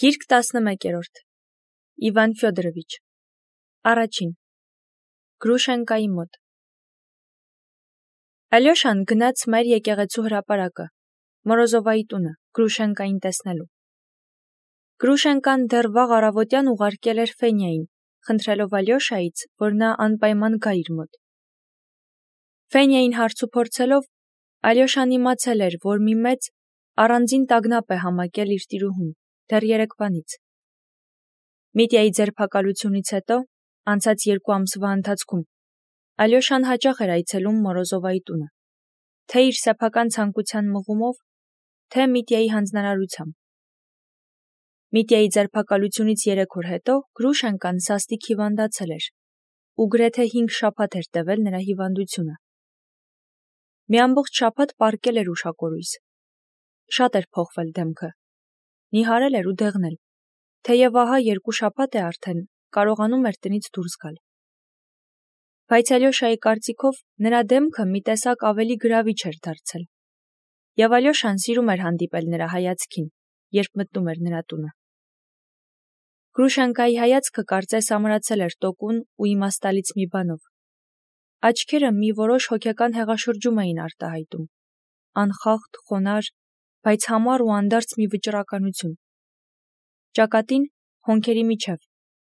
Գիրք 11-րդ Իվան Ֆյոդորովիչ Առաջին Գրուշենկայի մոտ Ալյոշան գնաց մեր եկեղեցու հրապարակը, Մորոզովայի տունը, Գրուշենկային տեսնելու։ Գրուշենկան դեռ վաղ առավոտյան ուղարկել էր Ֆենյային, խնդրելով Ալյոշայից, որ նա անպայման գա իր մոտ։ Ֆենյային հարց ու փորձելով, Ալյոշան իմացել էր, որ մի մեծ առանձին տագնապ է համակել իր տիրուհուն, դեռ երեկվանից։ Միտյայի ձերբակալությունից հետո, անցած 2 ամսվա ընթացքում, Ալյոշան հաճախ էր այցելում Մորոզովայի տունը, թե իր սեփական ցանկության մղումով, թե Միտյայի հանձնարարությամբ։ Միտյայի ձերբակալությունից 3 օր հետո Գրուշենկան սաստիկ հիվանդացել էր, ու գրեթե 5 շաբաթ էր տևել նրա հիվանդությունը։ Մի ամբողջ շաբաթ պառկել էր ուշակորույս։ Շատ էր փոխվել դեմքը, նիհարել էր ու դեղնել, թեև ահա 2 շաբաթ է արդեն կարողանում էր տնից դուրս գալ։ Բայց Ալյոշայի կարծիքով նրա դեմքը մի տեսակ ավելի գրավիչ էր դարձել, և Ալյոշան սիրում էր հանդիպել նրա հայացքին, երբ մտնում էր նրա տունը։ Գրուշենկայի հայացքը կարծես ամրացել էր տոկուն ու իմաստալից մի բանով։ Աչքերը մի որոշ հոգեկան հեղաշրջում էին արտահայտում, անխախտ, խոնարհ, բայց համառ ու անդարձ մի վճռականություն։ Ճակատին, հոնքերի միջև,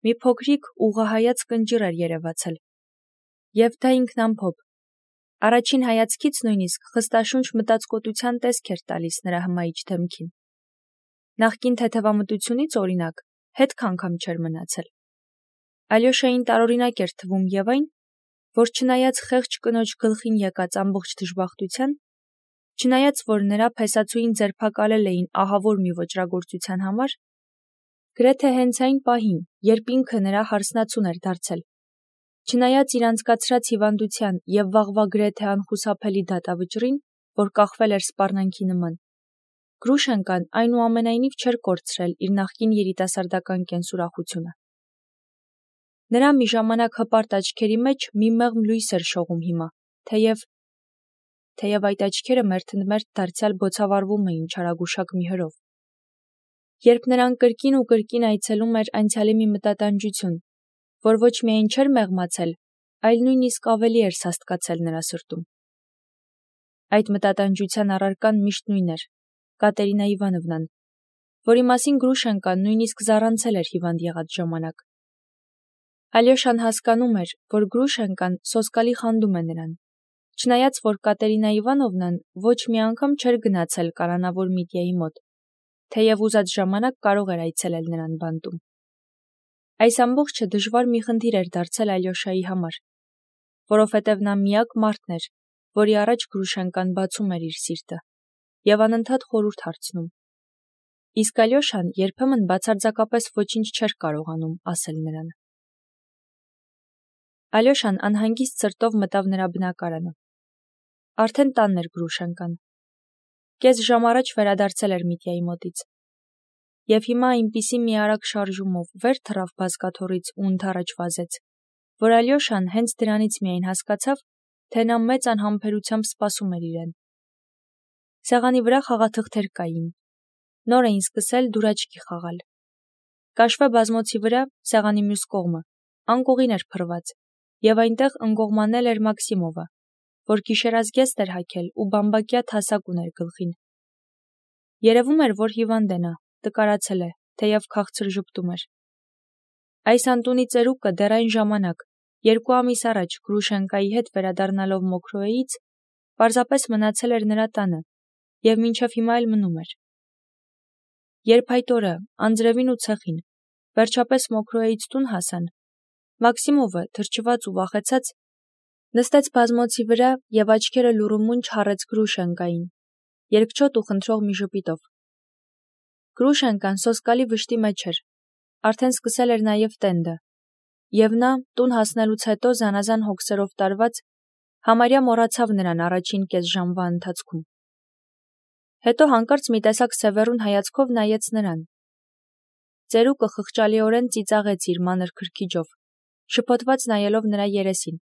մի փոքրիկ ուղղահայաց կնճիռ էր երևացել, և դա ինքնամփոփ, առաջին հայացքից նույնիսկ խստաշունչ մտածկոտության տեսք էր տալիս նրա հմայիչ դեմքին։ Նախկին թեթևամտությունից, օրինակ, հետք անգամ չէր մնացել։ Ալյոշային տարօրինակ էր թվում և այն, որ չնայած խեղճ կնոջ գլխին եկած ամբողջ դժբախտության, չնայած որ նրա փեսացուին ձերբակալել էին ահավոր մի ոճրագործության համար, գրեթե հենց այն պահին, երբ ինքը նրա հարսնացուն էր դարձել, չնայած իր անցկացրած հիվանդության և վաղվա գրեթե անխուսափելի դատավճռին, որ կախվել էր սպառնանքի նման, Գրուշենկան այնուամենայնիվ չէր կորցրել իր նախկին երիտասարդական կենսուրախությունը։ Նրա մի ժամանակ հպարտ աչքերի մեջ մի մեղմ լույս էր շողում հիմա, թեև այդ աչքերը մերթընդմերթ դարձյալ բոցավառվում էին չարագուշակ մի հրով։ Երբ նրան կրկին ու կրկին այցելում էր անցյալի մի մտատանջություն, որ ոչ միայն չէր մեղմացել, այլ նույնիսկ ավելի էր սաստկացել նրա սրտում։ Այդ մտատանջության առարկան միշտ նույն էր՝ Կատերինա Իվանովնան, որի մասին Գրուշենկան նույնիսկ զառանցել էր հիվանդ եղած ժամանակ։ Ալյոշան հասկանում էր, որ Գրուշենկան սոսկալի խանդում է նրան, չնայած որ Կատերինա Իվանովնան ոչ մի անգամ չէր գնացել կանանավոր Միտյայի մոտ, թեև ուզած ժամանակ կարող էր այցելել նրան բանտում։ Այս ամբողջը դժվար մի խնդիր էր դարձել Ալյոշայի համար, որովհետև նա միակ մարդն էր, որի առաջ Գրուշենկան բացում էր իր սիրտը և անընդհատ խորհուրդ հարցնում։ Իսկ Ալյոշան երբեմն բացարձակապես ոչինչ չէր կարողանում ասել նրան։ Ալյոշան անհանգիստ սրտով մտավ նրա բնակարանը։ Արդեն տանն էր Գրուշենկան։ Կես ժամ առաջ վերադարձել էր Միտյայի մոտից։ Եվ հիմա այնպիսի մի արագ շարժումով վեր թռավ բազկաթոռից ու ընդառաջ վազեց, որ Ալյոշան հենց դրանից միայն հասկացավ, թե նա մեծ անհամբերությամբ սպասում էր իրեն։ Սեղանի վրա խաղաթղթեր կային։ Նոր էին սկսել դուրաչքի խաղալ։ Կաշվե բազմոցի վրա, սեղանի մյուս կողմը, անկողին էր փռված, և այնտեղ ընկողմանել էր Մաքսիմովը, որ գիշերազգեստ էր հագել ու բամբակյա թասակ ուներ գլխին։ Երևում էր, որ հիվանդ է նա, տկարացել է, թեև քաղցր ժպտում էր։ Այս անտունի ծերուկը դեռ այն ժամանակ, 2 ամիս առաջ Գրուշենկայի հետ վերադառնալով Մոքրոեից, պարզապես մնացել էր նրա տանը և մինչև հիմա էլ մնում էր։ Երբ այդ օրը, անձրևին ու ցեխին, վերջապես Մոքրոեից տուն հասան, Մաքսիմովը, թրջված ու վախեցած, նստեց բազմոցի վրա և աչքերը լուռումունջ հառեց Գրուշենկային, երկչոտ ու խնդրող մի ժպիտով։ Գրուշենկան սոսկալի վշտի մեջ էր, արդեն սկսել էր նաև տենդը, և նա, տուն հասնելուց հետո զանազան հոգսերով տարված, համարյա մոռացավ նրան առաջին կես ժամվա ընթացքում։ Հետո հանկարծ մի տեսակ սևեռուն հայացքով նայեց նրան։ Ծերուկը խղճալիորեն ծիծաղեց իր մանր քրքիջով, շփոթված նայելով նրա երեսին։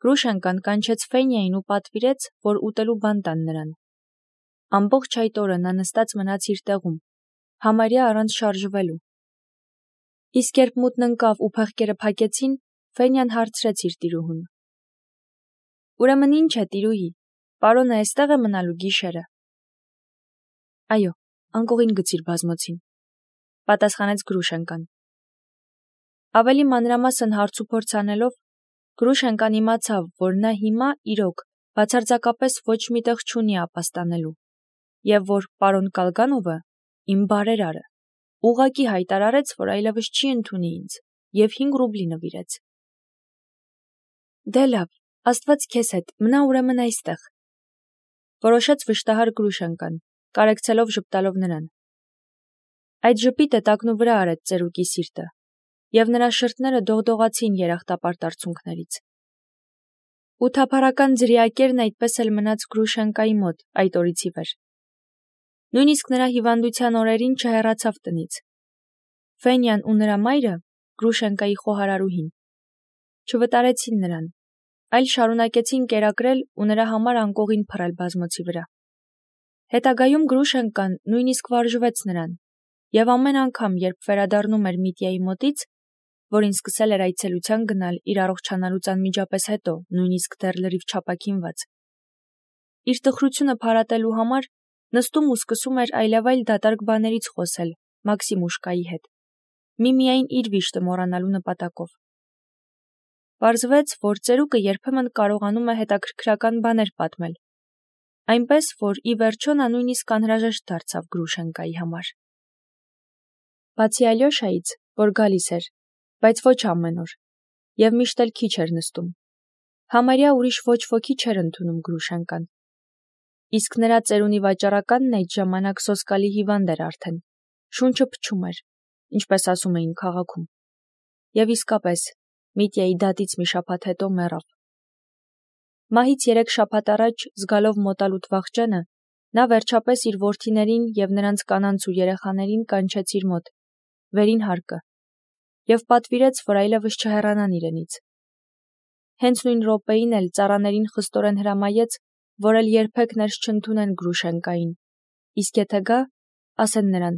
Գրուշենկան կանչեց Ֆենյային ու պատվիրեց, որ ուտելու բան տան նրան։ Ամբողջ այդ օրը նա նստած մնաց իր տեղում, համարյա առանց շարժվելու։ Իսկ երբ մութն ընկավ ու փեղկերը փակեցին, Ֆենյան հարցրեց իր տիրուհուն. «Ուրեմն ինչ է, տիրուհի, պարոնը այստեղ է մնալու գիշերը»։ «Այո, անկողին գցիր բազմոցին», պատասխանեց Գրուշենկան։ Ավելի մանրամասն հարցուփորձ անելով, Գրուշենկան իմացավ, որ նա հիմա իրոք բացարձակապես ոչ մի տեղ չունի ապաստանելու, եւ որ պարոն Կալգանովը, իմ բարերարը, ուղղակի հայտարարեց, որ այլևս չի ընդունի ինձ, եւ 5 ռուբլի նվիրեց։ Դե լավ, Աստված քեզ հետ, մնա ուրեմն այստեղ, որոշեց վշտահար Գրուշենկան, կարեկցելով ժպտալով նրան։ Այդ ժպիտը տակնու վրա արեց ծերուկի սիրտը, եւ նրա շրթները դողդողացին երախտապարտ արցունքներից։ Ու թափառական ձրիակերն այդպես էլ մնաց Գրուշենկայի մոտ այդ օրից ի վեր։ Նույնիսկ նրա հիվանդության օրերին չհեռացավ տնից։ Ֆենյան ու նրա մայրը, Գրուշենկայի խոհարարուհին, չվտարեցին նրան, այլ շարունակեցին կերակրել ու նրա համար անկողին փռել բազմոցի վրա։ Հետագայում Գրուշենկան նույնիսկ վարժվեց նրան, եւ ամեն անգամ, երբ վերադառնում էր Միտյայի մոտից, որին սկսել էր այցելության գնալ իր առողջանալուց անմիջապես հետո, նույնիսկ դեռ լրիվ չապակինված, իր տխրությունը փարատելու համար նստում ու սկսում էր այլևայլ դատարկ բաներից խոսել Մաքսիմուշկայի հետ, միմիայն իր վիշտը մոռանալու նպատակով։ Պարզվեց, որ ծերուկը երբեմն կարողանում է հետաքրքրական բաներ պատմել, այնպես, որ ի վերջո նա նույնիսկ անհրաժեշտ դարձավ Գրուշենկայի համար։ Բացի Ալյոշայից, որ գալիս էր, բայց ոչ ամեն օր, եւ միշտ էլ քիչ էր նստում, համարյա ուրիշ ոչ ոքի չէր ընդունում Գրուշենկան։ Իսկ նրա ծերունի վաճառականն այդ ժամանակ սոսկալի հիվանդ էր արդեն, շունչը փչում էր, ինչպես ասում էին քաղաքում, եւ իսկապես Միտյայի դատից մի շաբաթ հետո մեռավ։ Մահից 3 շաբաթ առաջ, զգալով մոտալուտ վախճանը, նա վերջապես իր որդիներին եւ նրանց կանանց ու երեխաներին կանչեց իր մոտ, վերին հարկը, եւ պատվիրեց, որ այլևս չհեռանան իրենից։ Հենց նույն րոպեին էլ ծառաներին խստորեն հրամայեց, որ էլ երբեք ներս չընդունեն Գրուշենկային, իսկ եթե գա, ասեն նրան.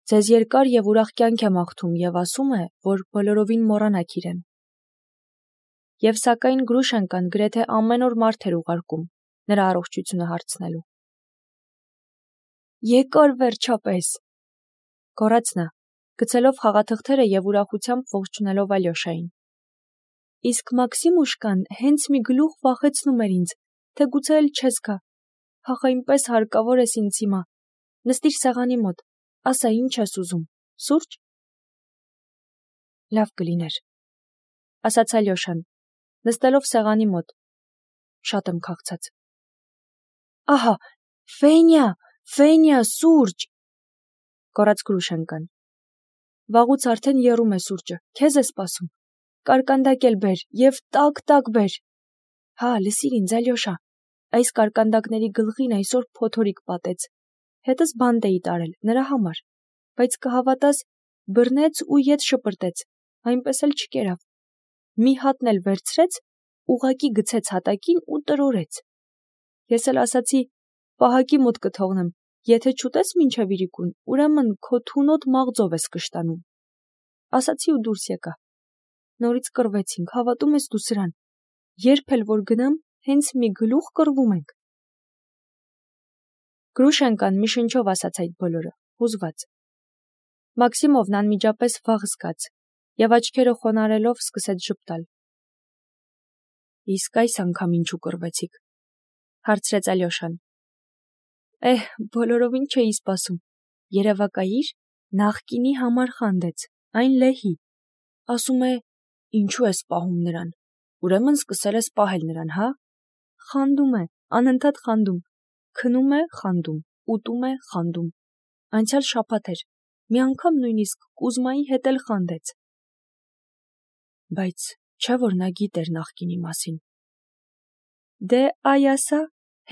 «Ձեզ երկար եւ ուրախ կյանք եմ աղթում եւ ասում է, որ բոլորովին մոռանաք իրեն»։ Եվ սակայն Գրուշենկան գրեթե ամեն օր մարդ էր ուղարկում նրա առողջությունը հարցնելու։ «Եկար վերջապես», գոռաց նա, գցելով խաղաթղթերը եւ ուրախությամբ ողջունելով Ալյոշային։ Իսկ Մաքսիմուշկան հենց մի գլուխ վախեցնում էր ինձ, թե գուցե էլ չես գա։ Հախ այնպես հարկավոր ես ինձ հիմա։ Նստիր սեղանի մոտ, ասա ինչ ես ուզում, սուրճ։ Լավ կլիներ, ասաց Ալյոշան, նստելով սեղանի մոտ։ Շատ եմ քաղցած։ Ահա, Ֆենյա, սուրճ, գոռաց Գրուշենկան։ Վաղուց արդեն եռում է սուրճը, քեզ է սպասում։ Կարկանդակ էլ բեր եւ տակ բեր։ Հա, լսիր ինձ, Ալյոշա, այս կարկանդակների գլխին այսօր փոթորիկ պատեց։ Հետս բանտ էի տարել նրա համար, բայց կհավատաս, բռնեց ու ետ շպրտեց, այնպես էլ չկերավ։ Մի հատն էլ վերցրեց, ուղակի գցեց հատակին ու տրորեց։ Ես էլ ասացի, պահակի մոտ կթողնեմ, եթե չուտես մինչև իրիկուն, ուրեմն քո թունոտ մաղձով ես կշտանում։ Ասացի ու դուրս եկա։ Նորից կռվեցինք, հավատում ես դու սրան։ Երբ էլ որ գնամ, հենց մի գլուխ կռվում ենք։ Գրուշենկան մի շնչով ասաց այդ բոլորը, հուզված։ Մաքսիմովն անմիջապես վախ զգաց եւ աչքերը խոնարելով սկսեց ժպտալ։ Իսկ այս անգամ ինչու կռվեցիք, հարցրեց Ալյոշան։ Բոլորովին չէի սպասում։ Երևակայիր, նախկինի համար խանդեց, այն լեհի։ Ասում է, ինչու ես պահում նրան։ Ուրեմն սկսել ես պահել նրան, հա։ Խանդում է, անընդհատ խանդում։ Քնում է, խանդում, ուտում է, խանդում։ Անցյալ շաբաթ էր, մի անգամ նույնիսկ Կուզմայի հետ էլ խանդեց։ Բայց չէ՞ որ նա գիտեր նախկինի մասին։ Դե այ ասա,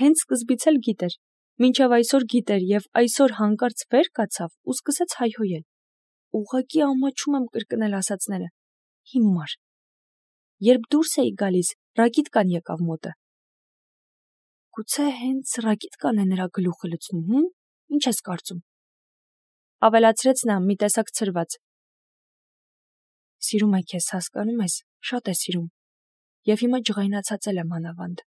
հենց սկզբից էլ գիտեր, մինչև այսօր գիտեր եւ այսօր հանկարծ վեր կացավ ու սկսեց հայհոյել։ Ուղղակի ամաչում եմ կրկնել ասածները։ Հիմար։ Երբ դուրս էի գալիս, ռակիտկան եկավ մոտը։ Գուցե հենց ռակիտկան է նրա գլուխը լցնում, ինչ ես կարծում։ ավելացրեց նա մի տեսակ ցրված։ Սիրում է քեզ, հասկանում ես, շատ է սիրում։ Եվ հիմա ջղայնացածել եմ անավանդ։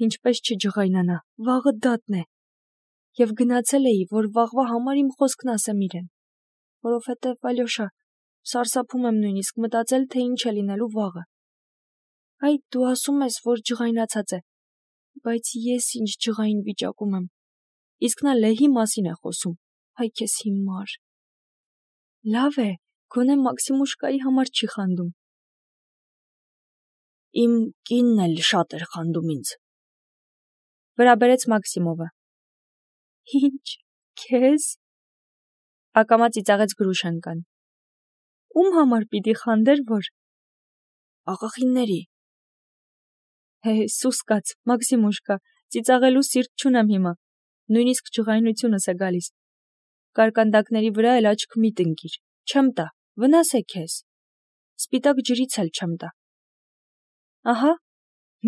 Ինչպես չջղայնանա, վաղը դատն է։ Եվ գնացել էի, որ վաղվա համար իմ խոսքն ասեմ իրեն։ Որովհետև, Ալյոշա, սարսափում եմ նույնիսկ մտածել, թե ինչ է լինելու վաղը։ Այ դու ասում ես, որ ջղայնացած է, բայց ես ինչ ջղային վիճակում եմ։ Իսկ նա Լեհի մասին է խոսում։ Այ քեզ հիմար։ Լավ է, գոնե Մաքսիմուշկայի համար չի խանդում։ Իմ կինն էլ շատ էր խանդում ինձ։ Վրաբերեց Մաքսիմովը։ Ինչ, քեզ։ Ակամա ծիծաղեց Գրուշենկան։ Ում համար պիտի խանդեր, որ աղախինների։ Սուսկաց, Մաքսիմուշկա, ծիծաղելու սիրտ չունեմ հիմա, նույնիսկ ջղայնությունս է գալիս։ Կարկանդակների վրա էլ աչք մի տնկիր, չեմ տա, վնաս է քեզ։ Սպիտակ ջրից էլ չեմ տա։ Ահա,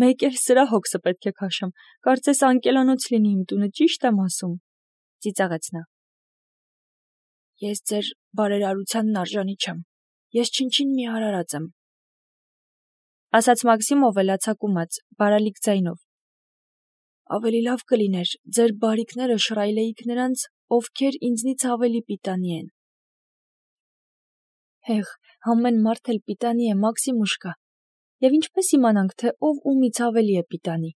մեկ էլ սրա հոգսը պետք է քաշեմ, կարծես անկելանոց լինի իմ տունը, ճիշտ եմ ասում, ծիծաղեց նա։ Ես ձեր բարերարությանն արժանի չեմ, ես չնչին մի արարած եմ, ասաց Մաքսիմովը լացակումած, բարալիկ ձայնով։ Ավելի լավ կլիներ ձեր բարիքները շռայլեիք նրանց, ովքեր ինձնից ավելի պիտանի են։ Հեղ, ամեն մարդ էլ պիտանի է, Մաքսիմուշկա, եւ ինչպես իմանանք, թե ով ումից ավելի է պիտանի։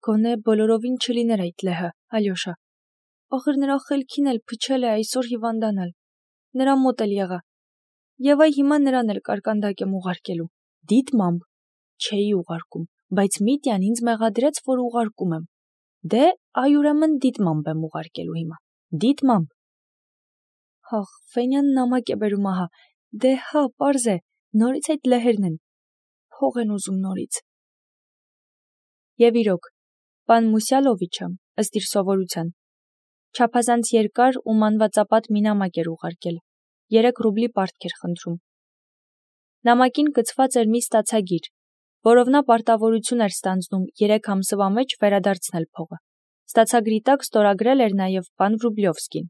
Գոնե բոլորովին չլիներ այդ Լեհը, Ալյոշա։ Ախր նրա խելքին էլ փչել է այսօր հիվանդանալ։ Նրա մոտ էլ եղա։ Եվ այ հիմա նրան էլ կարկանդակ եմ ուղարկելու։ Դիտմամբ չէի ուղարկում, բայց Միտյան ինձ մեղադրեց, որ ուղարկում եմ։ Դե, այ ուրեմն դիտմամբ եմ ուղարկելու հիմա։ Դիտմամբ։ Հաղ, Ֆենյան նամակ է բերում ահա։ Դե հա, պարզ է, նորից այդ լեհերն են։ Փող են ուզում նորից։ Եվ իրոք, պան Մուսյալովիչը, ըստ իր սովորության, չափազանց երկար ու մանվածապատ մի նամակ էր ուղարկել, 3 ռուբլի պարտք էր խնդրում։ Նամակին կցված էր մի ստացագիր, որով նա պարտավորություն էր ստանձնում 3 ամսվա մեջ վերադարձնել փողը։ Ստացագրի տակ ստորագրել էր նաև պան Վրուբլյովսկին։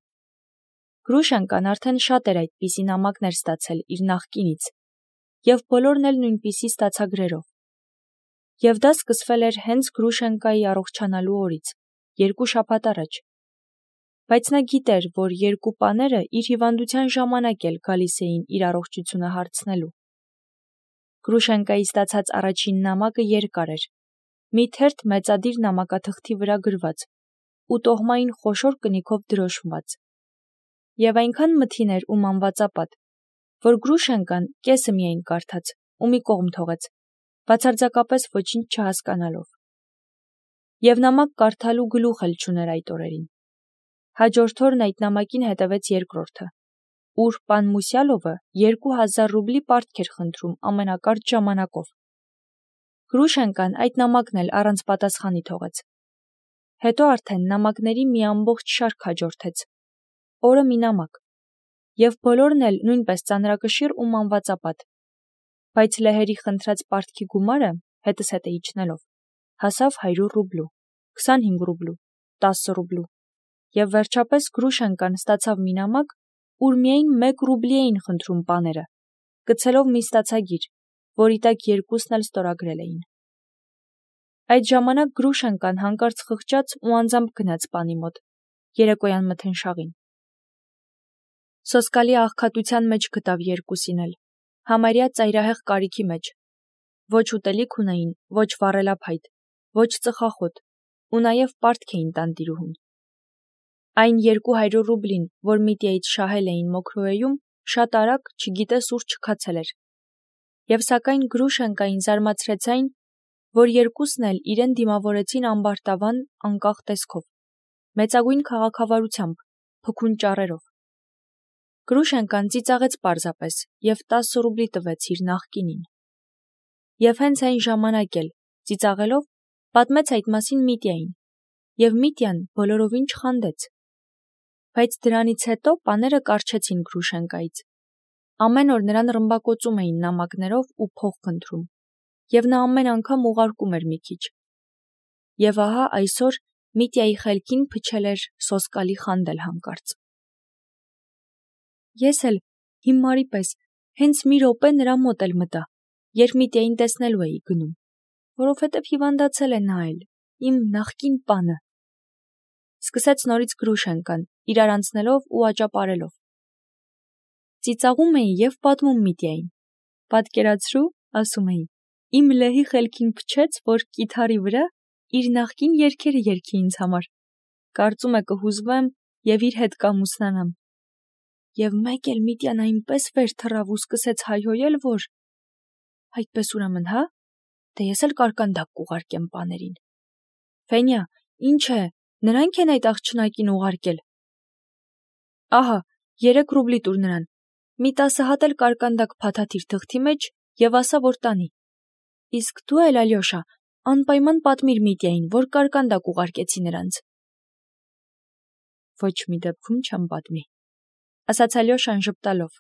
Գրուշենկան արդեն շատ էր այդպիսի նամակներ ստացել իր նախկինից, եւ բոլորն էլ նույնպիսի ստացագրերով։ Եվ դա սկսվել էր հենց Գրուշենկայի առողջանալու օրից, 2 շաբաթ առաջ։ Բայց նա գիտեր, որ 2 պաները իր հիվանդության ժամանակ էլ գալիս էին իր առողջությունը հարցնելու։ Գրուշենկայի ստացած առաջին նամակը երկար էր, մի թերթ մեծադիր նամակաթղթի վրա գրված ու տոհմային խոշոր կնիքով դրոշմված։ Եվ այնքան մթին էր ու մանվածապատ, որ Գրուշենկան կեսը միայն կարդաց ու մի կողմ թողեց, բացարձակապես ոչինչ չհասկանալով։ Եվ նամակ կարդալու գլուխ էլ չուներ այդ օրերին։ Հաջորդ օրն այդ նամակին հետևեց երկրորդը, ուր պան Մուսյալովը 2000 ռուբլի պարտք էր խնդրում ամենակարճ ժամանակով։ Գրուշենկան այդ նամակն էլ առանց պատասխանի թողեց։ Հետո արդեն նամակների մի ամբողջ շարք հաջորդեց, օրը մի նամակ, եւ բոլորն էլ նույնպես ծանրակշիռ ու մանվածապատ, բայց լեհերի խնդրած պարտքի գումարը, հետս հետ է իջնելով, հասավ 100 ռուբլու, 25 ռուբլու, 10 ռուբլու, եւ վերջապես Գրուշենկան ստացավ մի նամակ, ուր միայն 1 ռուբլի էին խնդրում պաները, գցելով մի ստացագիր, որի տակ երկուսն էլ ստորագրել էին։ Այդ ժամանակ Գրուշենկան հանկարծ խղճաց ու անձամբ գնաց պանի մոտ, երեկոյան մթնշաղին։ Սոսկալի աղքատության մեջ գտավ երկուսին էլ, համարյա ծայրահեղ կարիքի մեջ։ Ոչ ուտելիք ունեին, ոչ վառելափայտ, ոչ ծխախոտ, ու նաև պարտք էին տանտիրուհուն։ Այն 200 ռուբլին, որ Միտյայից շահել էին Մոքրոեում, շատ արագ, չգիտես ուր չքացել էր։ Եվ սակայն Գրուշենկային զարմացրեց այն, որ երկուսն էլ իրեն դիմավորեցին ամբարտավան, անկախ տեսքով, մեծագույն քաղաքավարությամբ, փքուն ճառերով։ Գրուշենկան ծիծաղեց պարզապես եւ 10 ռուբլի տվեց իր նախկինին։ Եվ հենց այն ժամանակ էլ, ծիծաղելով, պատմեց այդ մասին Միտյային, եւ Միտյան բոլորովին չխանդեց։ Բայց դրանից հետո պաները կառչեցին Գրուշենկայից։ Ամեն օր նրան ռմբակոծում էին նամակներով ու փող խնդրում, եւ նա ամեն անգամ ուղարկում էր մի քիչ։ Եվ ահա այսօր Միտյայի խելքին փչել էր սոսկալի խանդել հանկարծ։ Ես էլ հիմարի պես հենց մի րոպե նրա մոտ էլ մտա, երբ Միտյային տեսնելու էի գնում, որովհետև հիվանդացել է նա էլ, իմ նախկին պանը։ Սկսեց նորից Գրուշենկան, իրար անցնելով ու աճապարելով։ Ծիծաղում էի և պատմում Միտյային։ Պատկերացրու, ասում էի, իմ լեհի խելքին փչեց, որ կիթառի վրա իր նախկին երգերը երգի ինձ համար։ Կարծում է կհուզվեմ և իր հետ կամուսնանամ։ Եվ մեկ էլ Միտյան այնպես վեր թռավ ու սկսեց հայհոյել, որ… Այդպես ուրեմն, հա՞, դե ես էլ կարկանդակ կուղարկեմ պաներին։ Ֆենյա, ինչ է, նրանք են այդ աղջնակին ուղարկել։ Ահա, 3 ռուբլի տուր նրան, մի 10 հատ էլ կարկանդակ փաթաթիր թղթի մեջ և ասա, որ տանի։ Իսկ դու էլ, Ալյոշա, անպայման պատմիր Միտյային, որ կարկանդակ ուղարկեցի նրանց։ Ոչ մի դեպքում չեմ պատմի, ասաց Ալյոշան ժպտալով։